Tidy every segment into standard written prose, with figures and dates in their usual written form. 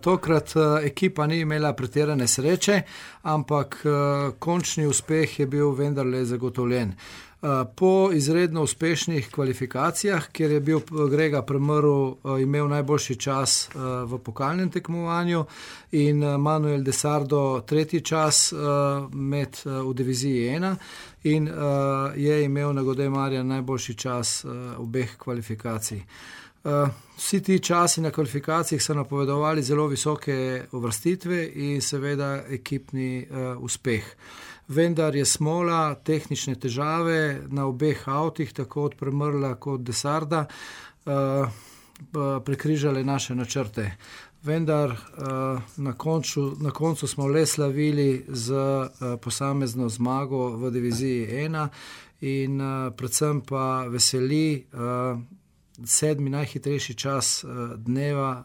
tokrat ekipa ni imela pretirane sreče, ampak končni uspeh je bil vendarle zagotovljen. Po izredno uspešnih kvalifikacijah, kjer je bil Grega Premrl imel najboljši čas v pokalnem tekmovanju in Manuel de Sardo tretji čas v diviziji 1 in je imel na Godej Marjan najboljši čas obeh kvalifikacij. Vsi ti časi na kvalifikacijah so napovedovali zelo visoke uvrstitve in seveda ekipni uspeh. Vendar je smola, tehnične težave na obeh avtih, tako od Premrla kot de Sarda, prekrižale naše načrte. Vendar na koncu smo le slavili z posamezno zmago v diviziji 1 in predvsem pa veseli 7. najhitrejši čas dneva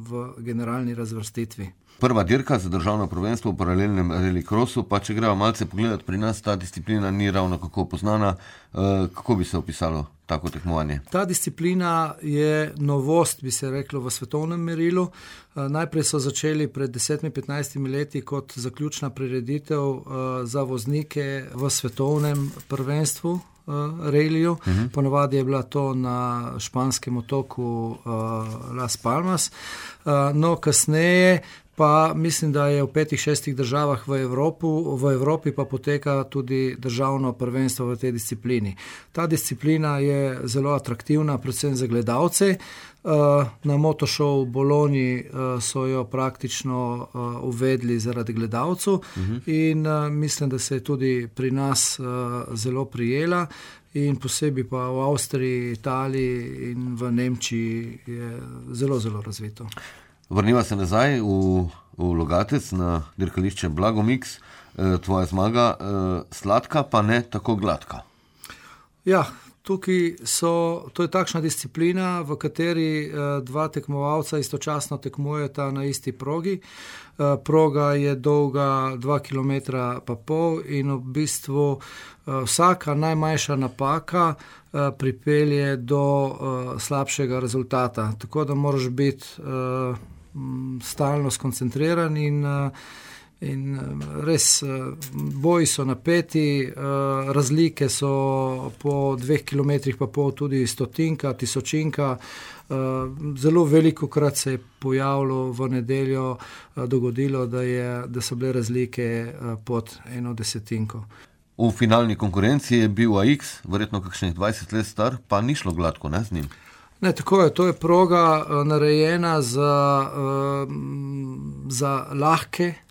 v generalni razvrstitvi. Prva dirka za državno prvenstvo v paralelnem rallycrossu, pa če gremo malce pogledati, pri nas ta disciplina ni ravno kako poznana. Kako bi se opisalo tako tekmovanje? Ta disciplina je novost, bi se reklo, v svetovnem merilu. Najprej so začeli pred 10-15 leti kot zaključna prireditev za voznike v svetovnem prvenstvu rallyju. Ponavadi je bila to na španskem otoku Las Palmas. No, kasneje pa mislim, da je v 5-6 državah v Evropi pa poteka tudi državno prvenstvo v tej disciplini. Ta disciplina je zelo atraktivna, predvsem za gledalce. Na Motošovu v Bologni so jo praktično uvedli zaradi gledalcev in mislim, da se je tudi pri nas zelo prijela in posebej pa v Avstriji, Italiji in v Nemčiji je zelo, zelo razvito. Vrniva se nazaj v Logatec na dirkališče Blagomix. Tvoja zmaga sladka, pa ne tako gladka. Ja, to je takšna disciplina, v kateri dva tekmovalca istočasno tekmujeta na isti progi. Proga je dolga 2,5 km in v bistvu vsaka najmanjša napaka pripelje do slabšega rezultata. Tako da moraš biti stalno skoncentriran in res boji so napeti, razlike so po 2,5 km tudi stotinka, tisočinka. Zelo velikokrat se je pojavilo v nedeljo, dogodilo, da so bile razlike pod 1/10. V finalni konkurenci je bil AX, verjetno kakšnih 20 let star, pa ni šlo gladko, ne, z njim? Ne, tako je. To je proga narejena za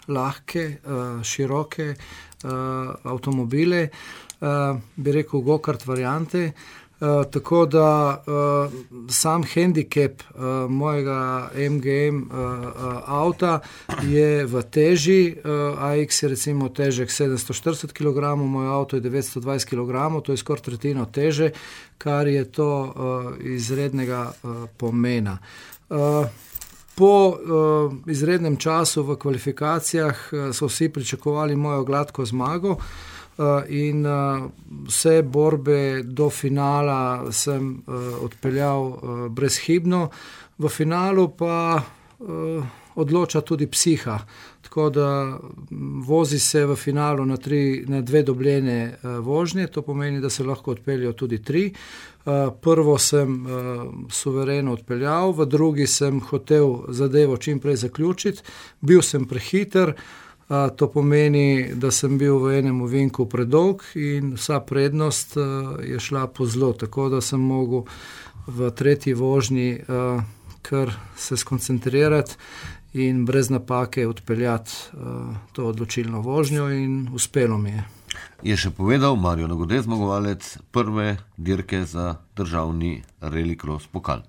lahke, široke avtomobile, bi rekel go-kart variante. Tako da sam handicap mojega MGM avta je v teži. AX je recimo težek 740 kg, moj avto je 920 kg, to je skoraj tretjino teže, kar je to izrednega pomena. Po izrednem času v kvalifikacijah so vsi pričakovali mojo gladko zmago, in vse borbe do finala sem odpeljal brezhibno. V finalu pa odloča tudi psiha, tako da vozi se v finalu na 2 dobljene vožnje, to pomeni, da se lahko odpeljajo tudi 3. Prvo sem suvereno odpeljal, v drugi sem hotel zadevo čim prej zaključiti, bil sem prehiter. To pomeni, da sem bil v enem ovinku predolg in vsa prednost je šla po zlo, tako da sem mogel v tretji vožnji kar se skoncentrirati in brez napake odpeljati to odločilno vožnjo in uspelo mi je. Je še povedal Mario Nagode, zmagovalec prve dirke za državni rallycross pokal.